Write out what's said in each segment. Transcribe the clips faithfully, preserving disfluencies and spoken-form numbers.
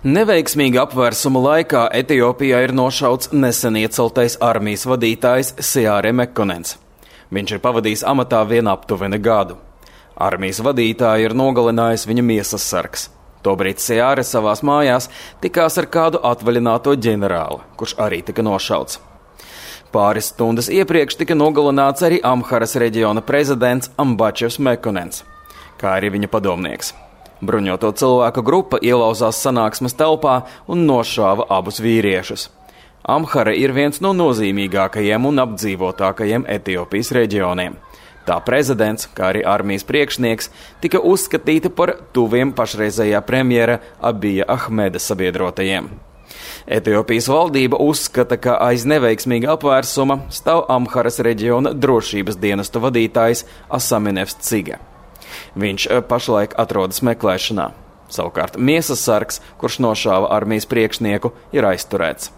Neveiksmīga apvērsuma laikā Etiopijā ir nošauts nesen ieceltais armijas vadītājs Seare Mekonens. Viņš ir pavadījis amatā vien aptuveni gadu. Armijas vadītāju ir nogalinājis viņa miesas sargs. Tobrīd Seare savās mājās tikās ar kādu atvaļināto ģenerāli, kurš arī tika nošauts. Pāris stundas iepriekš tika nogalināts arī Amharas reģiona prezidents Ambačevs Mekonens, kā arī viņa padomnieks. Bruņoto cilvēku grupa ielauzās sanāksmes telpā un nošāva abus vīriešus. Amhara ir viens no nozīmīgākajiem un apdzīvotākajiem Etiopijas reģioniem. Tā prezidents, kā arī armijas priekšnieks, tika uzskatīti par tuviem pašreizējā premjera Abija Ahmeda sabiedrotajiem. Etiopijas valdība uzskata, ka aiz neveiksmīga apvērsuma stāv Amharas reģiona drošības dienestu vadītājs Asaminevs Cige. Viņš pašlaik atrodas meklēšanā. Savukārt miesas sargs, kurš nošāva armijas priekšnieku, ir aizturēts.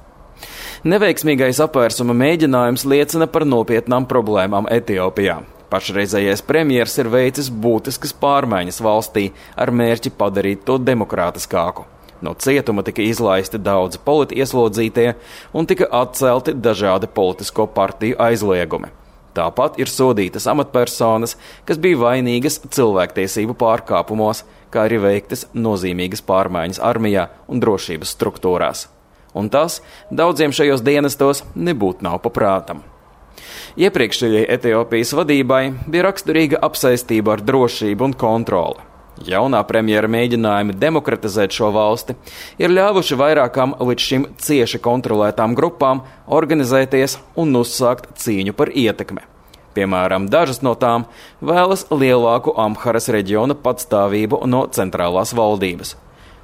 Neveiksmīgais apvērsuma mēģinājums liecina par nopietnām problēmām Etiopijā. Pašreizējais premjers ir veicis būtiskas pārmaiņas valstī ar mērķi padarīt to demokrātiskāku. No cietuma tika izlaisti daudzi politieslodzītie un tika atcelti dažādi politisko partiju aizliegumi. Tāpat ir sodītas amatpersonas, kas bija vainīgas cilvēktiesību pārkāpumos, kā arī veiktas nozīmīgas pārmaiņas armijā un drošības struktūrās. Un tas daudziem šajos dienestos nebūtu nav paprātam. Iepriekšējai Etiopijas vadībai bija raksturīga apsaistība ar drošību un kontroli. Jaunā premjera mēģinājumi demokratizēt šo valsti ir ļāvuši vairākām līdz šim cieši kontrolētām grupām organizēties un uzsākt cīņu par ietekmi. Piemēram, dažas no tām vēlas lielāku Amharas reģiona patstāvību no centrālās valdības.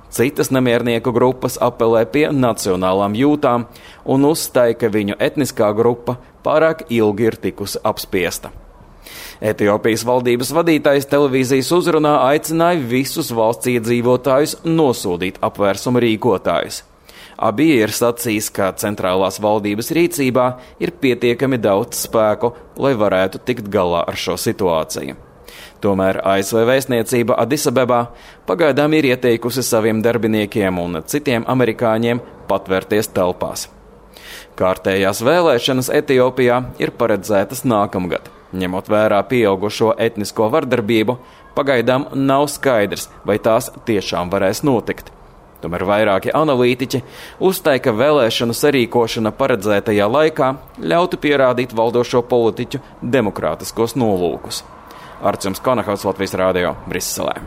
Citas nemiernieku grupas apelē pie nacionālām jūtām un uzstāja, ka viņu etniskā grupa pārāk ilgi ir tikusi apspiesta. Etiopijas valdības vadītājs televīzijas uzrunā aicināja visus valsts iedzīvotājus nosodīt apvērsuma rīkotājus. Abija ir sacījis, ka centrālās valdības rīcībā ir pietiekami daudz spēku, lai varētu tikt galā ar šo situāciju. Tomēr A S V vēstniecība Adisabebā pagaidām ir ieteikusi saviem darbiniekiem un citiem amerikāņiem patvērties telpās. Kārtējās vēlēšanas Etiopijā ir paredzētas nākamgad. Ņemot vērā pieaugušo etnisko vardarbību, pagaidām nav skaidrs, vai tās tiešām varēs notikt. Tomēr vairāki analītiķi uzstāja, ka vēlēšanu sarīkošana paredzētajā laikā ļautu pierādīt valdošo politiķu demokrātiskos nolūkus. Arčuns Konahaus, Latvijas Rādio, Briselē.